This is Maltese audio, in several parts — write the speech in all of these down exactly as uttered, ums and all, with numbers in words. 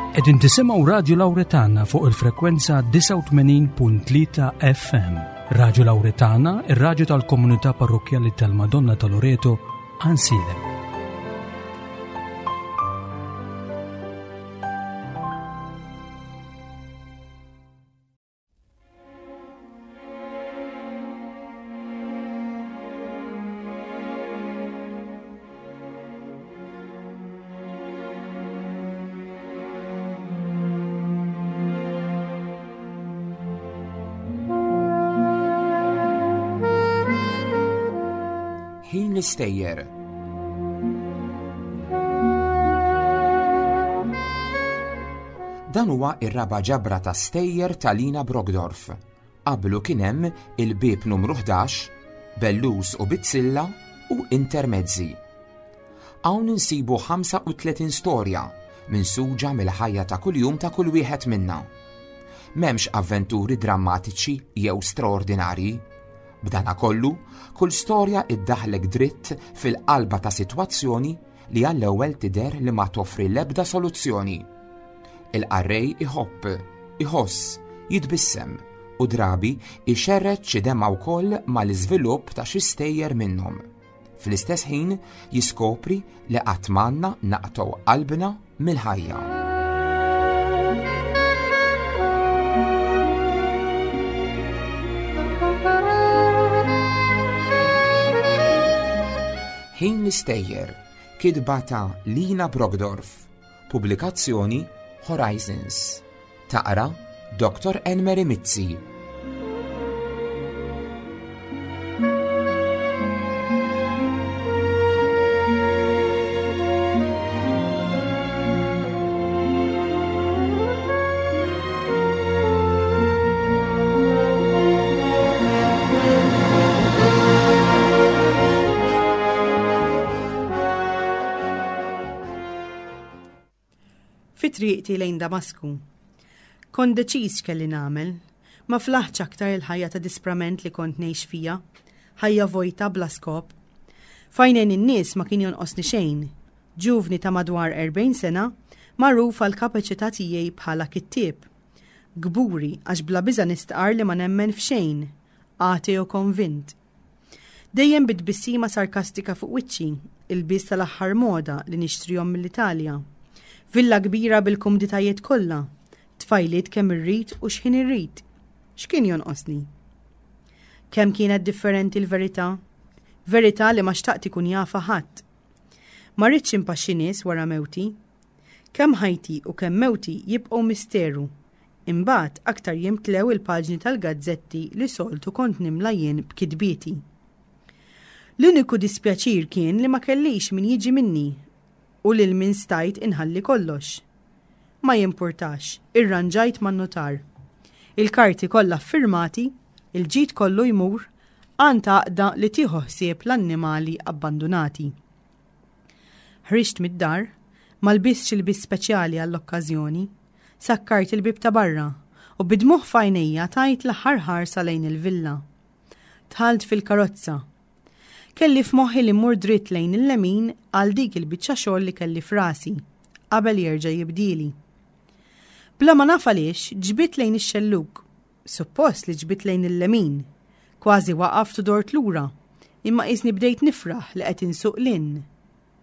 Qegħdin tisimgħu Radio Lauretana fuq il-frekwenza disgħa u tmenin punt tlieta F M. Radio Lauretana, ir-radju tal-komunità parrokkjali tal-Madonna ta' Loreto, Għajnsielem. Ħin l-istejjer. Dan huwa ir-raba' ġabra ta' stejjer ta' Lina Brockdorff. Qablu kien hemm il-bieb numru ħdax, Bellus u Bizzilla u Intermezzi. Hawn insibu ħamsa u tletin storja minsuġa mill-ħajja ta' kuljum ta' kull wieħed minna. M'hemmx avventuri drammatiċi jew straordinarji. B'dana kollu, kull storja iddaħlek dritt fil-qalba ta' sitwazzjoni li għall-ewwel tidher li ma toffri l-ebda soluzzjoni. Il-qarrej iħobb, iħoss, jitbissem u drabi ixerred xi demgħa wkoll mal-iżvilupp ta' xi stejjer minnhom. Fl-istess ħin jiskopri li qatt m'għandna naqtgħu qalbna mill-ħajja. Ħin l-istejjer, kitba ta' Lina Brockdorff, pubblikazzjoni Horizons. Taqra Doktor Enmeri Mizzi. Fi triqti lejn Damasku. Kont deċiż x'kelli nagħmel, ma flaħtx aktar il-ħajja ta' disprament li kont ngħix fija, ħajja vojta bla skop. F'għajnejn in-nies ma kien jonqosni xejn, ġuvni ta' madwar erbgħin sena, magħruf għal kapaċità tiegħi bħala kittieb. Kburi għax bla biża nistqar li ma nemmen f'xejn, ateo konvint. Dejjem bit-tbissima sarkastika fuq wiċċi, ilbies tal-aħħar moda li nixtrihom mill-Italja. Villa kbira bil-kumditajiet kollha, tfajliet kemm irrid u x'ħin irrid. X'kien jonqosni? Kemm kienet differenti l-verità? Verità li ma xtaqt ikun jafha ħadd. Ma rridx impaxxi nies wara mewti. Kemm ħajti u kemm mewti jibqgħu misteru. Imbagħad aktar jimtlew il-paġni tal-gazzetti li soltu kont nimla jien b'kitbieti. L-uniku dispjaċir kien li ma kellix min jiġi minni u lil min stajt inħalli kollox. Ma jimpurtax, irranġajt man-nutar. Il-karti kollha firmati, il-ġid kollu jmur għand għaqda li tieħu ħsieb l-annimali abbandunati. Ħriġt mid-dar, ma lbistx ilbies speċjali għall-okkażjoni, sakkart il-bib ta' barra u bid-dmugħ f'għajnejja tajt l-aħħar ħarsa lejn il-villa. Dħalt fil-karozza. Kelli f'moħħi li mmur dritt lejn il-lemin għal dik il-biċċa xogħol li kelli f'rasi, qabel jerġa' jibdili. Bla ma naf għaliex ġbidt lejn ix-xellug. Suppost li ġbidt lejn il-lemin. Kważi waqaft u dort lura, imma qisni bdejt nifraħ li qed insuq 'l hinn.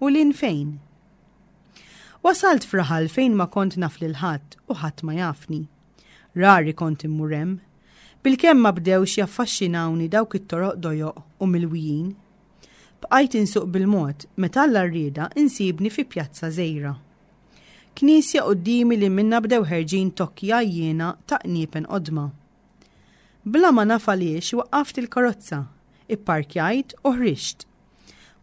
U 'l hinn fejn? Wasalt f'raħal fejn ma kont naf lil ħadd u ħadd ma jafni. Rari kont immur hemm. Bilkemm ma bdewx jaffaxxinawni dawk it-toroq dojoq u milwijin. Bqajt insuq bil-mod meta Alla rrieda insibni fi pjazza żgħira. Knisja quddiemi li minna bdew ħerġin tokki għajjiena ta' qniepen qodma. Bla ma naf għaliex waqqaft il-karozza, ipparkjajt u ħriġt.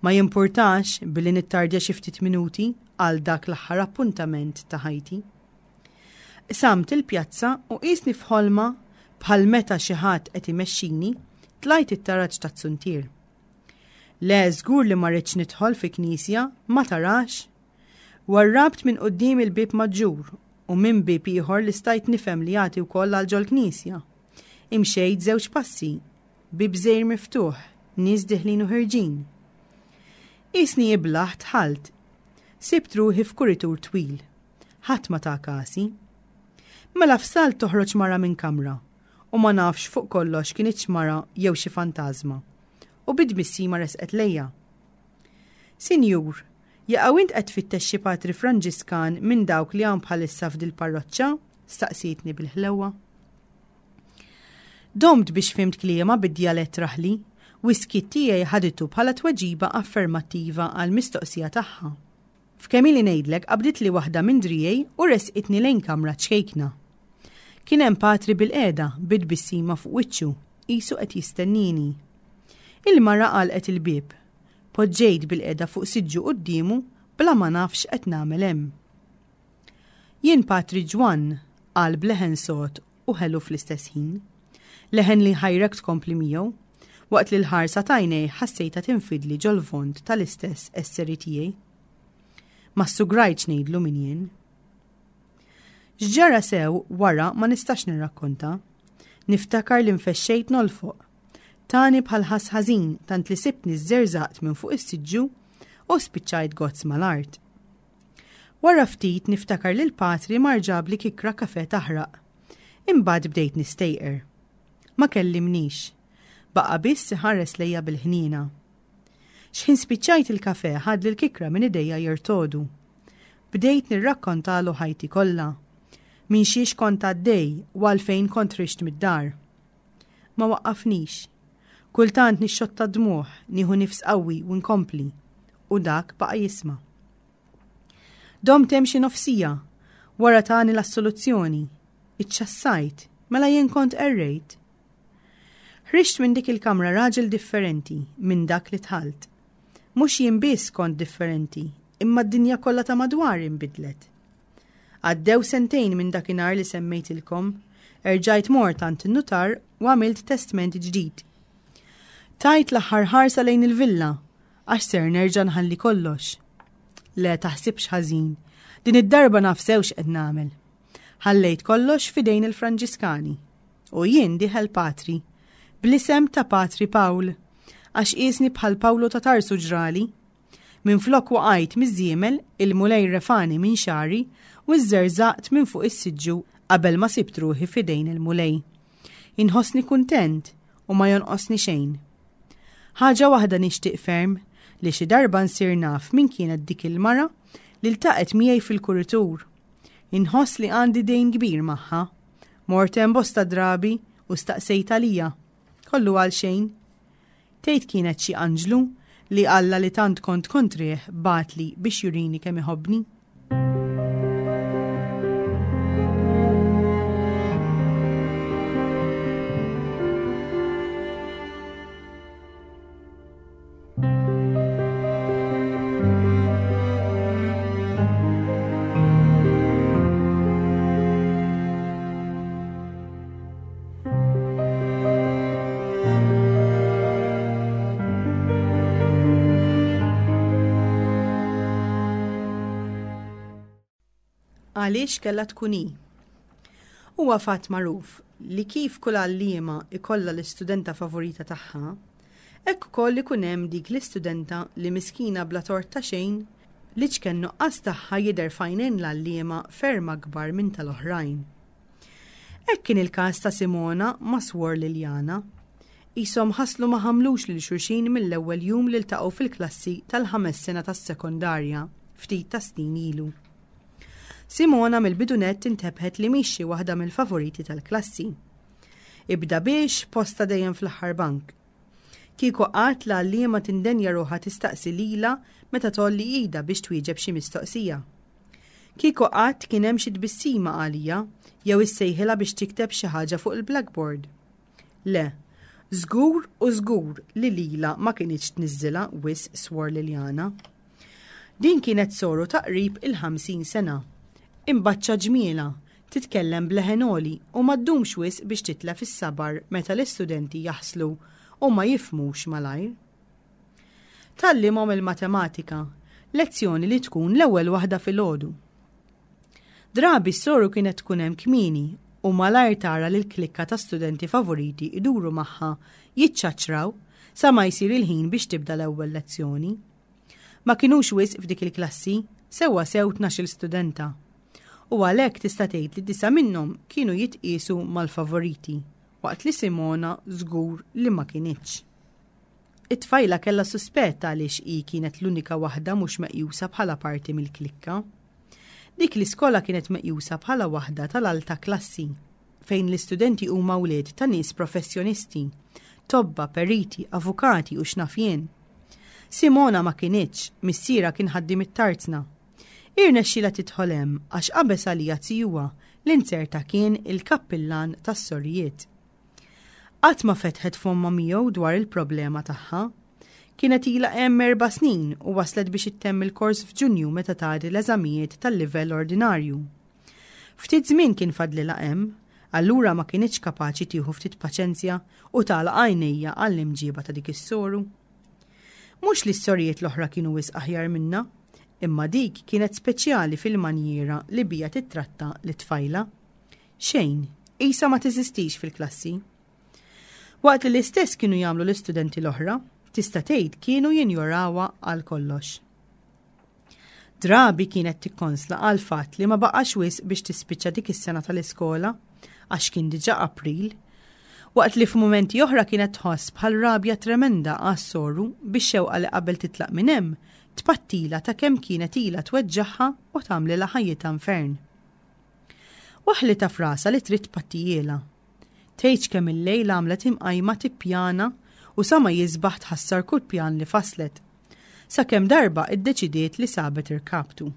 Ma jimpurtax billi nittardja xi ftit minuti għal dak l-aħħar appuntament ta' ħajti. Qsamt il-pjazza u qisni f'ħolma bħal meta xi ħadd qed imexxini, tlajt it-taraġ taz-zuntier. Le, żgur li ma rridx nidħol fi knisja, ma tarax. Warrabt minn quddiem il-bib maġġur u minn bib ieħor li stajt nifhem li jagħti wkoll għal ġol-knisja. Imxejt żewġ passi, bib żgħir miftuħ, nies diħlin u ħerġin. Qisni iblah dħalt. Sibt ruħi f'kuritur twil. Ħadd ma ta kasi. Mela f'salt toħroġ mara minn kamra u ma nafx fuq kollox kinitx mara jew xi fantażma. U bi tbissima resqet lejja. Sinjur, jaqaw int qed tfittex xi patri Franġiskan minn dawk li hawn bħalissa f'dil-parroċċa? Staqsietni bil-ħlewwa. Domt biex fhimt kliemha bid-djalett raħli, u s-skiet tiegħi ħaditu bħala tweġiba affermattiva għall-mistoqsija tagħha. F'kemm ili ngħidlek qabditli waħda minn driegħi u resqitni lejn kamra ċkejkna. Kien hemm patri bilqiegħda bi tbissima fuq wiċċu, qisu qed jistennini. Il-mara għalqet il-bieb. Poġġejt bilqiegħda fuq siġġu quddiemu bla ma naf x'qed nagħmel hemm. Jien Patri Ġwann, qal b'leħen sod u ħelu fl-istess ħin. Leħen li ħajrek tkompli miegħu, waqt li l-ħarsa t'għajnejh ħassejtha tinfidli ġol-vond tal-istess esseri tiegħi. Ma ssugrajtx ngħidlu min jien. X'ġara sew wara ma nistax nirrakkonta. Niftakar li nfexxejt nolfoq. Tani bħal ħass ħażin tant li sibtni żżerżaqt minn fuq is-siġġu u spiċċajt gozz mal-art. Wara ftit niftakar li l-patri mar ġabli kikra kafe taħraq. Imbagħad bdejt nistejqer. Ma kellimnix. Baqa' biss iħares lejja bil-ħniena. X'ħin spiċċajt il-kafe ħadli l-kikra minn idejja jirtodu. Bdejt nirrakkontalu ħajti kollha. Minn xiex kont għaddej u għalfejn kont ħriġt mid-dar. Ma waqqafnix. Kultant nixxotta dmugħ, nieħu nifs qawwi u nkompli. U dak baqa' jisma'. Domt hemm xi nofsija, wara tani l-assoluzzjoni. Iċċassajt, mela jien kont qerrejt. Ħriġt minn dik il-kamra raġel differenti minn dak li dħalt. Mhux jien biss kont differenti, imma d-dinja kollha ta' madwari nbidlet. Għaddew sentejn minn dakinhar li semmejtilkom, erġajt mort għand in-nutar u għamilt testment ġdid. Tajt l-aħħar ħarsa lejn il-villa, għax ser nerġa' nħalli kollox. Le taħsibx ħażin, din id-darba naf sew x'qed nagħmel. Ħallejt kollox f'idejn il-Franġiskani. U jien dieħel patri, bl-isem ta' Patri Pawl, għax qisni bħal Pawlu ta' Tarsu ġrali. Minflok waqajt miż-żiemel, il-Mulej refani minn xagħri u żżerżaqt minn fuq is-siġġu qabel ma sibt ruħi f'idejn il-Mulej. Inħossni kuntent u ma jonqosni xejn. Ħaġa waħda nixtieq ferm, li xi darba nsir naf min kienet dik il-mara li ltaqgħet miegħi fil-kuritur. Inħoss li għandi dejn kbir magħha. Mort hemm bosta drabi u staqsejt għalija. Kollu għal xejn. Tgħid kienet xi anġlu li Alla li tant kont kontrih bagħatli biex jurini kemm iħobbni. Għaliex kellha tkun hi? Huwa fatt magħruf li kif kull għalliema ikollha l-istudenta favorita tagħha, hekk ukoll ikun hemm dik l-istudenta li miskina bla tort ta' xejn li ċken nuqqas tagħha jidher f'għajnejn l-għalliema ferm akbar minn tal-oħrajn. Hekk kien il-każ ta' Simona ma' Swor Liliana. Qishom ħaslu ma ħamlux lil xulxin mill-ewwel jum li ltaqgħu fil-klassi tal-ħames sena tas-sekondarja ftit ta' snin ilu. Simona mill-bidu nett intebħet li mhix xi waħda mill-favoriti tal-klassi. Ibda biex posta dejjem fl-aħħar bank. Kieku qatt l-għalliema tindenja ruħha tistaqsi lilha meta tgħolli idha biex twieġeb xi mistoqsija. Kieku qatt kien hemm xi tbissima għalija jew issejħilha biex tikteb xi ħaġa fuq il-blackboard. Le, żgur u żgur li lilha ma kinitx tniżżilha wisq Swor Liliana. Din kienet soru ta' qrib il-ħamsin sena. Imbaċċa ġmiela, titkellem b'leħen għoli u ma ddumx wisq biex titlef is-sabar meta l-istudenti jaħslu u ma jifhmux malajr. Tgħallimhom il-matematika, lezzjoni li tkun l-ewwel waħda filgħodu. Drabi s-soru kienet tkun hemm kmieni u malajr tara lil klikka ta' studenti favoriti iduru magħha jiċċaċraw sa ma jsir il-ħin biex tibda l-ewwel lezzjoni. Ma kinux wisq f'dik il-klassi, sewwa sew tnax-il studenta. U għalhekk tista' tgħid li disa' minnhom kienu jitqiesu mal-favoriti, waqt li Simona żgur li ma kinitx. It-tfajla kellha suspett għaliex hi kienet l-unika waħda mhux meqjusa bħala parti mill-klikka. Dik l-iskola kienet meqjusa bħala waħda tal-alta klassi, fejn l-istudenti huma wlied ta' nies professjonisti, tobba, periti, avukati u x'naf jien. Simona ma kinitx, missierha kien ħaddiem it-tarzna. Irnexxielha tidħol hemm għax qabeż għaliha zijuha li nzerta kien il-kappillan tas-sorijiet. Qatt ma fetħet fommha miegħu dwar il-problema tagħha. Kienet ilha hemm erba' snin u waslet biex ittemm il-kors f'Ġunju meta tgħaddi l-eżamijiet tal-livell ordinarju. Ftit żmien kien fadlilha hemm, allura ma kinitx kapaċi tieħu ftit paċenzja u tagħlaq għajnejha għall-imġiba ta' dik is-soru. Mhux li s-sorijiet l-oħra kienu wisq aħjar minnha, imma dik kienet speċjali fil-manjiera li bija titratta lit-tfajla. Xejn, qisha ma teżistix fil-klassi. Waqt li l-istess kienu jagħmlu l-istudenti l-oħra, tista' tgħid kienu jinjorawha għal kollox. Drabi kienet tikkonsla għal fatt li ma baqax wisq biex tispiċċa dik is-sena tal-iskola, għax kien diġà April, waqt li f'mumenti oħra kienet tħoss bħal rabja tremenda għas-soru bix-xewqa li qabel titlaq minn hemm tpattila ta' kemm kienet ilha tweġġagħha u tagħmlilha ħajjitha infern. Waħlitha f'rasha li trid tpattijielha. Tgħidx kemm il-lejl għamlet imqajma tippjana u sa ma jisbaħ tħassar kull pjan li faslet. Sakemm darba iddeċidiet li sabet irkaptu.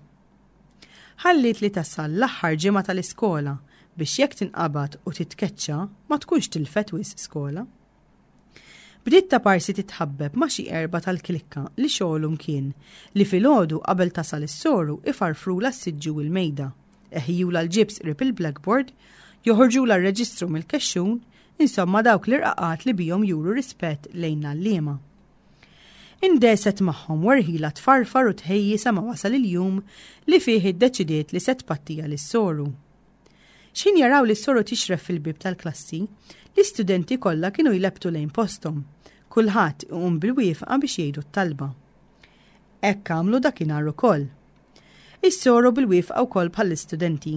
Ħalliet li tasal l-aħħar ġimgħa tal-iskola biex jekk tinqabad u titkeċċa ma tkunx tilfet wisq skola. Bdiet ta' parsi titħabbeb ma' xi erba' tal-klikka li xogħolhom kien li filgħodu qabel tasal is-soru ifarfrula s-siġġu u l-mejda, eħjula l-ġibs qrib il-blackboard, joħorġula r-reġistru mill-kexxun, insomma dawk l-irqaqat li bihom juru rispett lejn l-għalliema. Indeset magħhom werħila tfarfar u tħejji sa ma wasal il-jum li fih iddeċidiet li se tpattija lis-soru. X'ħin jaraw li s-soru tixref fil-bib tal-klassi, l-istudenti kollha kienu jlebbtu lejn posthom, kulħadd iqum bil-wieqfa biex jgħidu t-talba. Hekk għamlu dakinhar ukoll. Is-soru bil-wieqfa wkoll bħall-istudenti.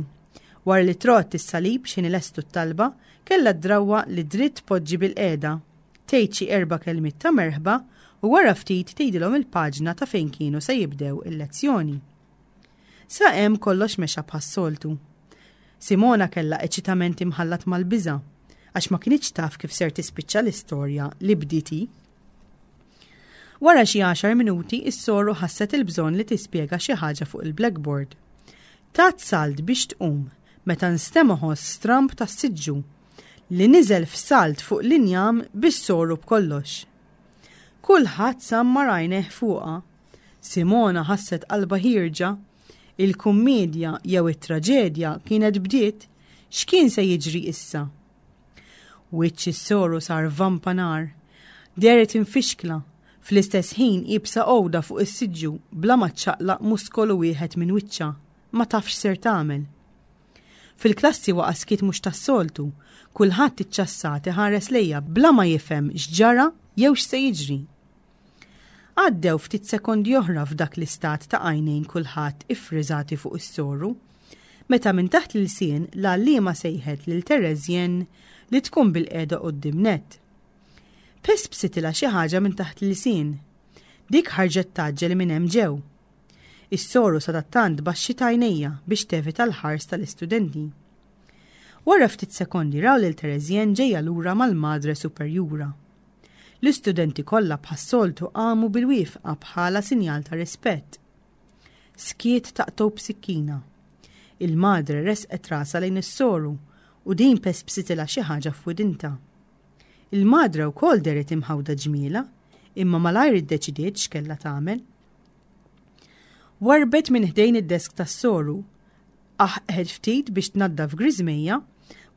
Wara li trott is-salib x'ħin ilestu t-talba, kellha d-drawwa li dritt poġġi bil-qiegħda, tgħid xi erba' kelmiet ta' merħba u wara ftit tgħidilhom il-paġna ta' fejn kienu se jibdew il-lezzjoni. Sa hemm kollox mexa bħas-soltu. Simona kellha eċitament imħallat mal-biża' għax ma kinitx taf kif ser tispiċċa l-istorja li bdiet hi. Wara xi għaxar minuti is-soru ħasset il-bżonn li tispjega xi ħaġa fuq il-blackboard. Tat salt biex tqum meta nstema' ħoss stramb tas-siġġu li niżel f'salt fuq l-injam bis-soru b'kollox. Kulħadd sammar għajnejh fuqha. Simona ħasset qalbha ħierġa. Il-kummedja jew it-traġedja kienet bdiet, x'kien se jiġri issa? Wiċċ is-soru sar vampa nar, dehret infixkla, fl-istess ħin iebsa għoda fuq is-siġġu bla ma ċċaqlaq muskolu wieħed minn wiċċha, ma tafx ser tagħmel. Fil-klassi waqa' skiet mhux tas-soltu, kulħadd iċċassat iħares lejha bla ma jifhem x'ġara jew x'se jiġri. Għaddew ftit sekondi oħra f'dak l-istat ta' għajnejn kulħadd iffriżati fuq is-soru, meta minn taħt l-ilsien l-għalliema sejħet lil Terezjen li tkun bil-qiegħda quddiem nett. Pespsitilha xi ħaġa minn taħt l-ilsien. Dik ħarġet tgħaġġel minn hemm ġew. Is-soru sadattant baxxit għajnejha biex tevita l-ħars tal-istudenti. Wara ftit sekondi raw lil Terezjen ġejja lura mal-madre superjura. L-istudenti kollha bħas-soltu qamu bil-wieqfa bħala sinjal ta' rispett. Skiet taqtgħu b'sikkina. Il-madre resqet rasha lejn is-soru u din pespsitilha xi ħaġa f'widinta. Il-madre wkoll dehret imħawda ġmiela, imma malajr iddeċidiet x'kellha tagħmel. Warbet minn ħdejn id-desk tas-soru, aħqet ftit biex tnaddaf griżmejja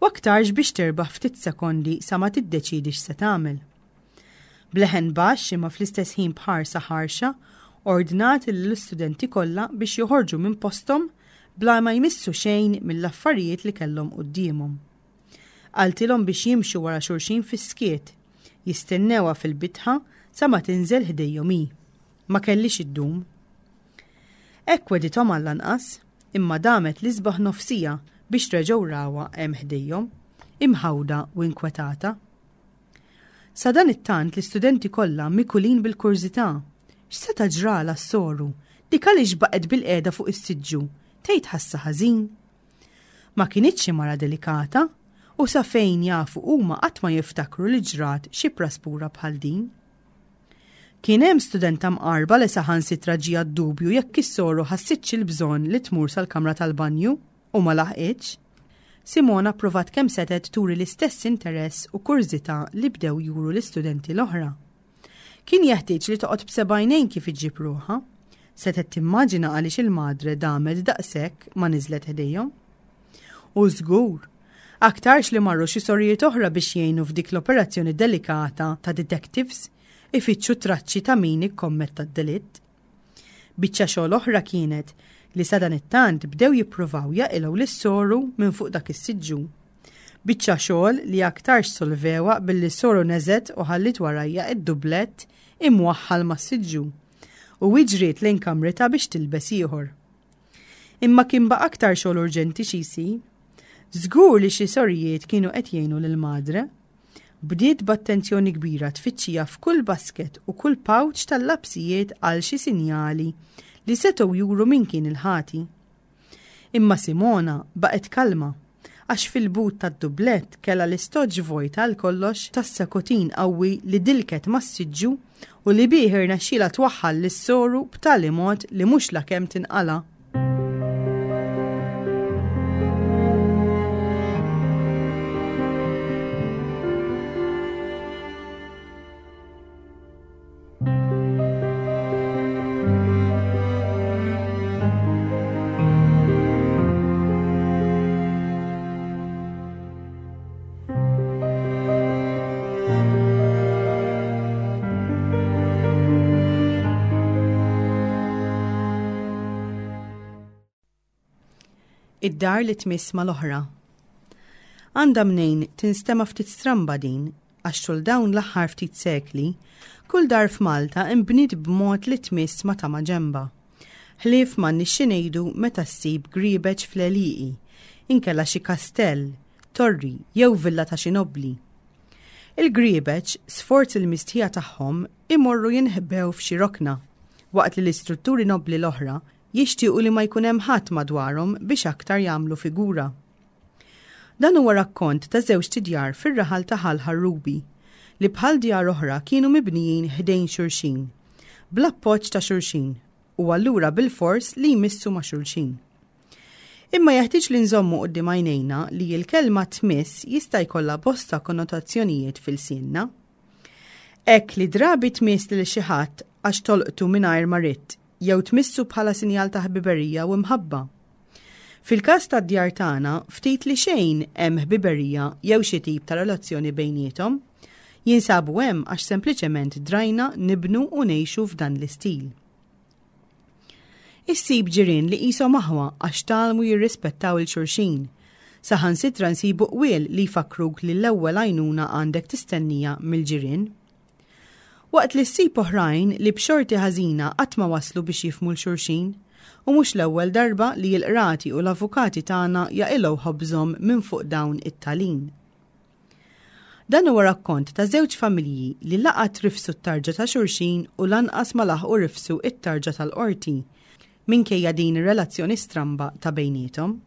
u aktarx biex terbaħ ftit sekondi sa ma tiddeċidi x'se tagħmel. Bleħen baxx imma fl-istess ħin b'ħarsa ħarxa ordnat lill-istudenti kollha biex joħorġu minn posthom bla ma jmissu xejn mill-affarijiet li kellhom quddiemhom. Qaltilhom biex jimxu wara xulxin fis-skiet, jistennewha fil-bitħa sa ma tinżel ħdejhom hi. Ma kellix iddum. Hekk wedithom għall-anqas, Imma damet l-isbaħ nofsija biex reġgħu rawha hemm ħdejhom, imħawda u inkwetata. Sadanittant l-istudenti kollha mikulin bil-kurżità. X'seta' ġralha s-soru? Dik għaliex baqgħet bilqiegħda fuq is-siġġu? Tgħid ħassa ħażin? Ma kinitx xi mara delikata u sa fejn jafu huma qatt ma jiftakru li ġrat xi praspura bħal din. Kien hemm studenta mqarba li saħansitra ġieha d-dubju jekk is-soru ħassitx il-bżonn li tmur sal-kamra tal-banju u ma laħqitx. Simona pprovat kemm setgħet turi l-istess interess u kurżità li bdew juru l-istudenti l-oħra. Kien jeħtieġ li toqgħod b'seba' għajnejn kif iġġib ruħha. Setgħet timmaġina għaliex il-madre damet daqshekk ma niżlet ħdejhom. U żgur, aktarx li marru xi sorijiet oħra biex jgħinu f'dik l-operazzjoni delikata ta' detectives ifittxu traċċi ta' min ikkommetta d-delitt. Biċċa xogħol oħra kienet li sadanittant bdew jippruvaw jaqilgħu lis-soru minn fuq dak is-siġġu. Biċċa xogħol li aktarx solvewha billi s-soru neżgħet u ħalliet warajha id-dublett imwaħħal mas-siġġu u ġriet lejn kamritha biex tilbes ieħor. Imma kien baqa' aktar xogħol urġenti xi jsir. Żgur li xi sorijiet kienu qed jgħinu lil madre. Bdiet b'attenzjoni kbira tfittxija f'kull basket u kull pouch tal-lapsijiet għal xi sinjali li setgħu juru min kien il-ħati. Imma Simona baqgħet kalma għax fil-but tad-dublett kellha l-istoġġ vojt għal kollox tas-sakotin qawwi li dilket mas-siġġu u li bih irnexxielha twaħħal lis-soru b'tali mod li mhux lakemm tinqala'. Id-dar li tmiss mal-oħra. Għandha mnejn tinstema' ftit stramba din, għax tul dawn l-aħħar ftit sekli, kull dar f'Malta imbniet b'mod li tmiss ma' ta' maġenba. Ħlief m'għandniex xi ngħidu meta ssib griebeġ fl-għelieqi, inkella xi kastell, torri jew villa ta' xi nobbli. Il-griebeġ, sforz il-mistħija tagħhom, imorru jinħbew f'xi rokna, waqt li l-istrutturi nobbli l-oħra jixtiequ li ma jkun hemm ħadd madwarhom biex aktar jagħmlu figura. Dan huwa rakkont ta' żewġt idjar fir-raħal ta' Ħal Ħarrubi li bħal djar oħra kienu mibnijin ħdejn xulxin, bl-appoġġ ta' xulxin u allura bilfors li jmissu ma' xulxin. Imma jeħtieġ li nżommu quddiem għajnejna li l-kelma tmiss jista' jkollha bosta konnotazzjonijiet fil-sienna. Hekk li drabi tmiss lil xi ħadd għax tolqtu mingħajr ma ridt, jew tmissu bħala sinjal ta' ħbiberija u mħabba. Fil-każ tad-djar tagħna, ftit li xejn hemm ħbiberija jew xi tip ta' relazzjoni bejniethom, jinsabu hemm għax sempliċement drajna nibnu u ngħixu f'dan l-istil. Issib ġirien li qishom aħwa għax tgħallmu jirrispettaw il-xulxin. Saħansitra nsibu qwiel li jfakkruk li l-ewwel għajnuna għandek tistennija mill-ġirien. Waqt li ssib oħrajn li b'xorti ħażina qatt ma waslu biex jifhmu l-xulxin, u mhux l-ewwel darba li l-qrati u l-avukati tagħna jaqilgħu ħobżhom minn fuq dawn it-talin. Dan huwa rakkont ta' żewġ familji li laqat rifsu t-tarġa ta' xulxin u lanqas ma laħqu rifsu t-tarġa tal-qorti, minkejja din ir-relazzjoni stramba ta' bejniethom.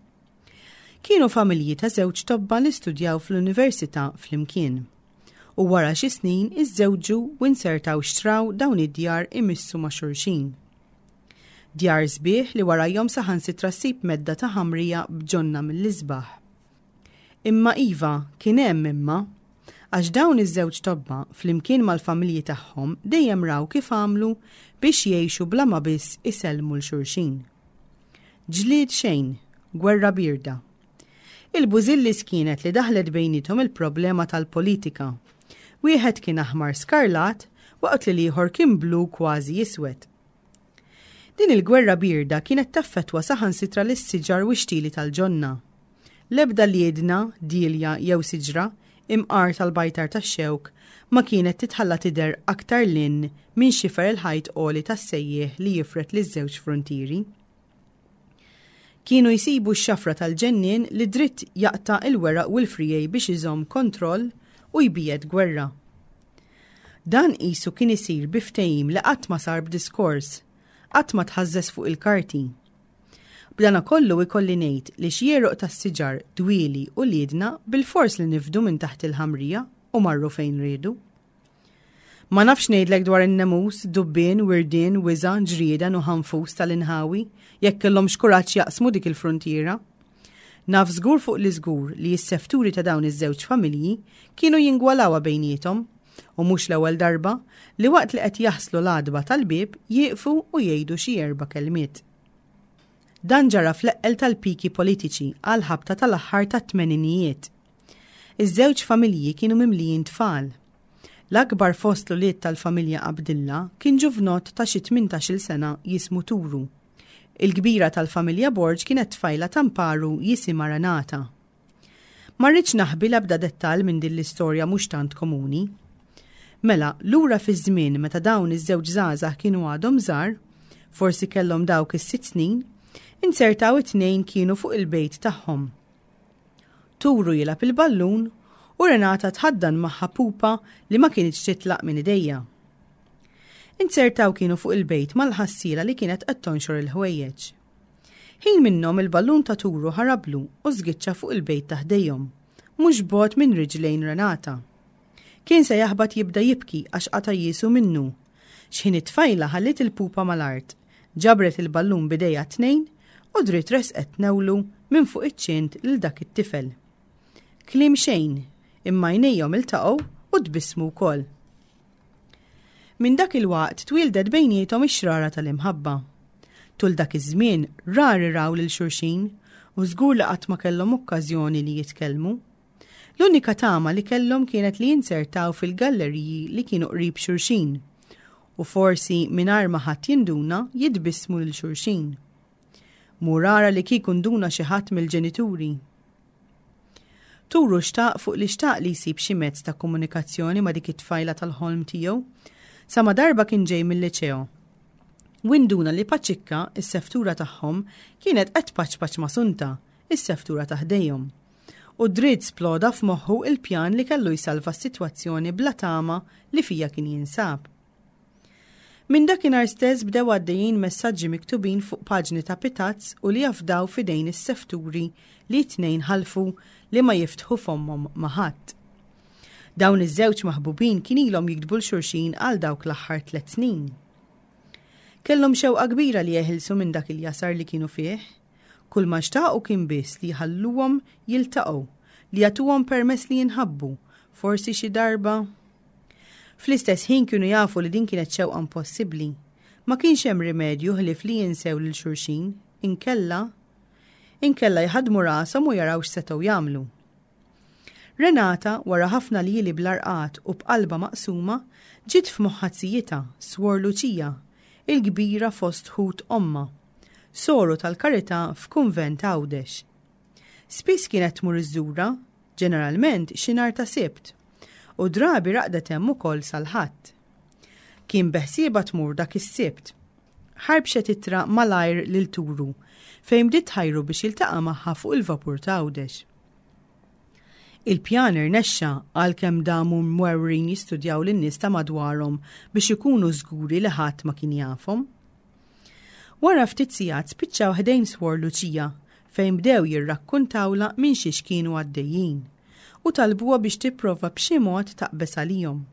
Kienu familji ta' żewġ tobba li studjaw fl-università flimkien. U wara xi snin iżżewġu u insertaw xtraw dawn id-djar imissu ma' xulxin. Djar sbieħ li warajhom saħansitra ssib medda ta' ħamrija b'ġonna mill-isbaħ. Imma iva, kien hemm imma, għax dawn iż-żewġ tobba flimkien mal-familji tagħhom dejjem raw kif għamlu biex jgħixu bla ma biss isellmu l xulxin. Ġlied xejn, gwerra bierda. Il-bużillis kienet li daħlet bejniethom il-problema tal-politika. Wieħed kien aħmar skarlat waqt li l-ieħor kien blu kważi iswed. Din il-gwerra bierda kienet taffettwa saħansitra lis-siġar u x-xtili tal-ġonna. L-ebda liedna, dielja jew siġra, imqar tal-bajtar tax-xewk, ma kienet titħalla tidher aktar lin minn xifer il-ħajt għoli tas-sejjieħ li jifred liż-żewġ frontieri. Kienu jsibu x-xafra tal-ġennien li dritt jaqta' il-weraq u l-friegħi biex iżomm kontroll u jbiegħed gwerra. Dan qisu kien isir bi ftehim li qatt ma sar b'diskors, qatt ma tħażżeż fuq il-karti. B'dana kollu ikolli ngħid li xi għeruq tas-siġar, dwieli u liedna bilfors li nifdu minn taħt il-ħamrija u marru fejn riedu. Ma nafx ngħidlek dwar in-nemus, dubbien, wirdien, wiżgħa, ġrieden u ħanfus tal-inħawi jekk kellhomx kuraġġ jaqsmu dik il-fruntiera. Naf żgur fuq li żgur li s-sefturi ta' dawn iż-żewġ familji kienu jingwalawha bejniethom u mhux l-ewwel darba li waqt li qed jaħslu l-għatba tal-bieb jieqfu u jgħidu xi erba' kelmiet. Dan ġara fl-eqqel tal-piki politiċi għal ħabta tal-aħħar tat-tmeninijiet. Iż-żewġ familji kienu mimlijin tfal. L-akbar fost l-ulied tal-familja Abdilla kien ġuvnott ta' xi tmintax-il sena jismu Turu. Il-kbira tal-familja Borg kienet tfajla tamparu jisimha Renata. Ma rridx naħbi l-ebda dettall minn din l-istorja mhux tant komuni. Mela, lura fiż-żmien meta dawn iż-żewġ żgħażagħ kienu għadhom żgħar, forsi kellhom dawk is-sitt snin, inzertaw it-tnejn kienu fuq il-bejt tagħhom. Turu jilgħab il-ballun u Renata tħaddan magħha pupa li ma kinitx titlaq minn idejja. Inzertaw kienu fuq il-bejt mal-ħassiela li kienet qed tonxor il-ħwejjeġ. Ħin minnhom il-ballun ta' Turu ħarablu u żgiċċa fuq il-bejt ta' ħdejhom, mhux bogħod minn riġlejn Renata. Kien se jaħbat jibda jibki għax qata' jiesu minnu. X'ħin it-tfajla ħalliet il-pupa mal-art, ġabret il-ballun b'idejha t-tnejn u dritt resqet tnewlu minn fuq iċ-ċint lil dak it-tifel. Kliem xejn, imma għajnejhom iltaqgħu u tbissmu wkoll. Minn dak il-waqt twieldet bejniethom ix-xrara tal-imħabba. Tul dak iż-żmien rari raw lil xulxin u żgur li qatt ma kellhom okkażjoni li jitkellmu. L-unika tama li kellhom kienet li jinzertaw fil-galleriji li kienu qrib xulxin u forsi mingħajr ma ħadd jinduna jitbissmu lil xulxin. Mur ara li kieku nduna xi ħadd mill-ġenituri. Turu xtaq fuq li xtaq li jsib xi mezz ta' komunikazzjoni ma' dik it-tfajla tal-ħolm tiegħu, sa ma darba kien ġej mill-liċeo. U nduna li Paċikka, is-seftura tagħhom, kienet qed tpaċpaċ ma' Sunta, is-seftura ta' ħdejhom. U dritt sploda f'moħħu il-pjan li kellu jsalva s-sitwazzjoni bla tama li fija kien jinsab. Minn dakinhar stess bdew għaddejjin messaġġi miktubin fuq paġni ta' pitazz u li jafdaw f'idejn is-sefturi li t-tnejn ħalfu li ma jiftħu fommhom ma' ħadd. Dawn iż-żewġ maħbubin kien ilhom jiktbu 'l xulxin għal dawk l-aħħar tliet snin. Kellhom xewqa kbira li jeħilsu minn dak il-jasar li kienu fih. Kull ma xtaqu kien biss li jħalluhom jiltaqgħu, li jagħtuhom permess li jinħabbu, forsi xi darba. Fl-istess ħin kienu jafu li din kienet xewqa impossibbli. Ma kienx hemm rimedju ħlief li jinsew lil xulxin, inkella inkella jħaddmu rashom u jaraw x'setgħu jagħmlu. Renata, wara ħafna ljieli bla rqad u b'qalba maqsuma, ġiet f'moħħha zijitha, Swor Luċija, il-kbira fost ħut ommha, soru tal-karità f'kunvent Għawdex. Spiss kienet tmur iżżurha, ġeneralment xi nhar ta' Sibt, u drabi raqdet hemm ukoll sal-Ħadd. Kien beħsiebha tmur dak is-Sibt. Ħarbxet ittra malajr lil Turu, fejn bdiet tħajru biex jiltaqa' magħha fuq il-vapur ta' Għawdex. Il-pjan irnexxa għalkemm damu mwerwrin jistudjaw lin-nies ta' madwarhom biex ikunu żguri li ħadd ma kien jafhom. Wara ftit sigħat spiċċaw ħdejn Swor Luċija fejn bdew jirrakkuntawla minn xiex kienu għaddejjin u talbuha biex tipprova b'xi mod taqbeż għalihom.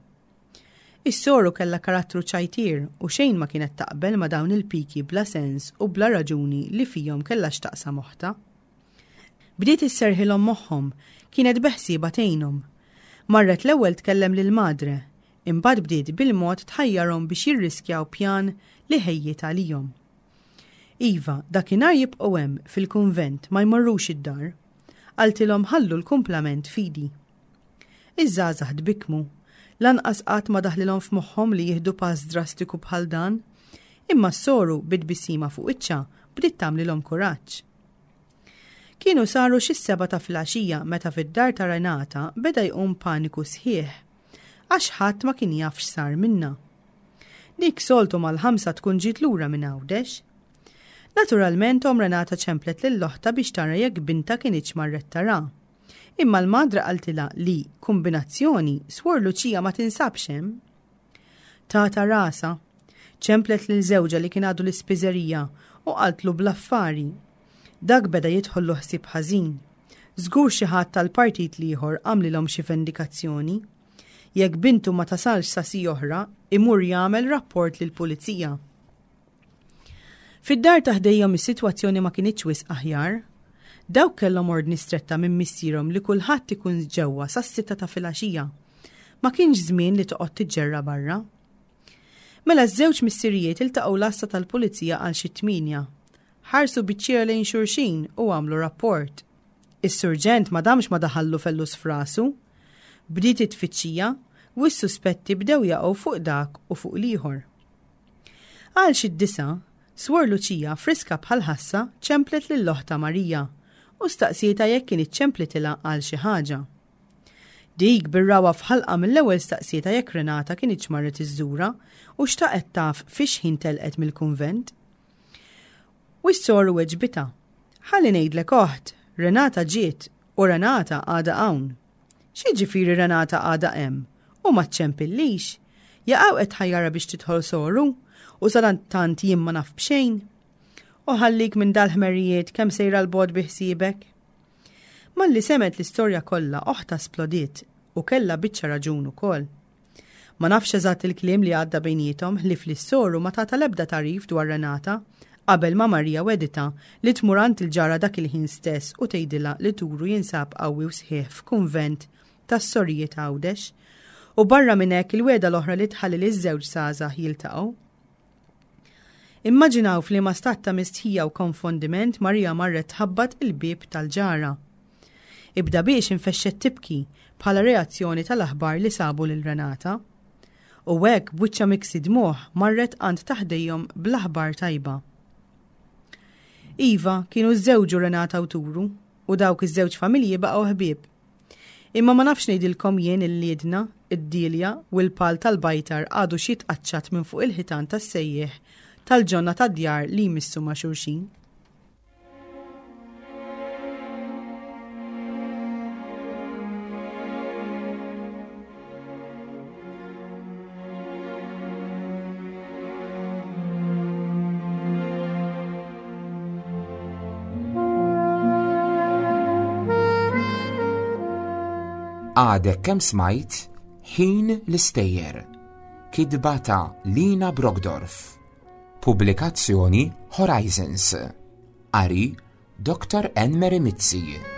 Is-soru kellha karattru ċajtier u xejn ma kienet taqbel ma' dawn il-piki bla sens u bla raġuni li fihom kellha x'taqsam oħtha. Bdiet isserħilhom moħħhom, kienet beħsiebha tgħinhom. Marret l-ewwel tkellem lil madre, imbagħad bdiet bil-mod tħajjarhom biex jirriskjaw pjan li ħejjiet għalihom. Iva, dakinhar jibqgħu hemm fil-kunvent ma jmorrux id-dar. Qaltilhom ħallu l-kumplament fidi. Iż-żgħażagħ tbikkmu, lanqas qatt ma daħlilhom f'moħħhom li jieħdu pass drastiku bħal dan, imma s-soru bi tbissima fuq wiċċha bdiet tagħmlilhom kuraġġ. Kienu saru xi s-sebgħa ta' filgħaxija meta fid-dar ta' Renata beda jqum paniku sħiħ, għax ħadd ma kien jaf x'sar minnha. Dik soltu mal-ħamsa tkun ġiet lura minn Għawdex. Naturalment omm Renata ċemplet lil oħtha biex tara jekk bintha kinitx marret tara. Imma l-madre qaltilha li, kumbinazzjoni, Swor Luċija ma tinsabx hemm. Tata rasha, ċemplet lil żewġha li kien għadu l-ispiżerija u qaltlu bl-affari. Dak beda jidħollu ħsieb ħażin. Żgur xi ħadd tal-partit l-ieħor għamlilhom xi vendikazzjoni. Jekk bintu ma tasalx sa siegħa oħra, imur jagħmel rapport lill-pulizija. Fid-dar ta' ħdejhom is-sitwazzjoni ma kinitx wisq aħjar. Dawk kellhom ordni stretta minn missierhom li kulħadd ikun ġewwa sas-sitta ta' filgħaxija. Ma kienx żmien li toqgħod tiġġerra barra. Mela ż-żewġ missirijiet iltaqgħu l-għassa tal-pulizija għal xi tmienja. Ħarsu biċ-ċiera lejn xulxin u għamlu rapport. Is-surġent ma damx ma daħallu fellus f'rasu. Bdiet it-tfittxija u s-suspetti bdew jaqgħu fuq dak u fuq l-ieħor. Għal xi disgħa, Swor Luċija friska bħal ħassa ċemplet lil oħtha Marija u staqsietha jekk kien ċemplitilha għal xi ħaġa. Dik bir-ragħwa f'ħalqha mill-ewwel staqsietha jekk Renata kinitx marret iżżurha u xtaqet taf fiex ħin telqet mill-kunvent. U s-soru weġbitha. Ħalli ngħidlek oħt, Renata ġiet u Renata għadha hawn. X'jiġifieri Renata għadha hemm? U ma ċċempillix? Jaqaw qed tħajjarha biex tidħol soru u sadanittant jien ma naf b'xejn. U ħallik minn dal-ħmerijiet kemm sejra 'l bogħod bi ħsiebek. Malli semgħet l-istorja kollha oħtha splodiet u kellha biċċa raġun ukoll. Ma nafx eżatt il-kliem li għadda bejniethom ħlief li s-soru ma tatha l-ebda tagħrif dwar Renata qabel ma Marija wegħditha li tmur għand il-ġara dak il-ħin stess u tgħidilha li Turu jinsab qawwi u sħiħ f'kunvent tas-sorijiet Għawdex u barra minn hekk il-wegħda l-oħra li tħalli liż-żewġ żgħażagħ jiltaqgħu. Immaġinaw f'liema stat ta' mistħija u konfondiment Marija marret tħabbat il-bieb tal-ġara. Ibda biex infexxet tibki bħala reazzjoni tal-aħbar li sabu lil Renata. U hekk b'wiċċha miksi dmugħ marret għand ta' ħdejhom bl-aħbar tajba. Iva, kienu żżewġu Renata u Turu, u dawk iż-żewġ familji baqgħu ħbieb. Imma ma nafx ngħidilkom jien il-liedna, id-dilja u l-pal tal-bajtar għadu xi tqaċċat minn fuq il-ħitan tas-sejjieħ tal-ġonna tad-djar li jmissu ma' xulxin. Għadek kemm smajt Ħin l-Istejjer, kitba ta' Lina Brockdorff. Pubblikazzjoni Horizons. Qari Dottor Anne Mary Mizzi.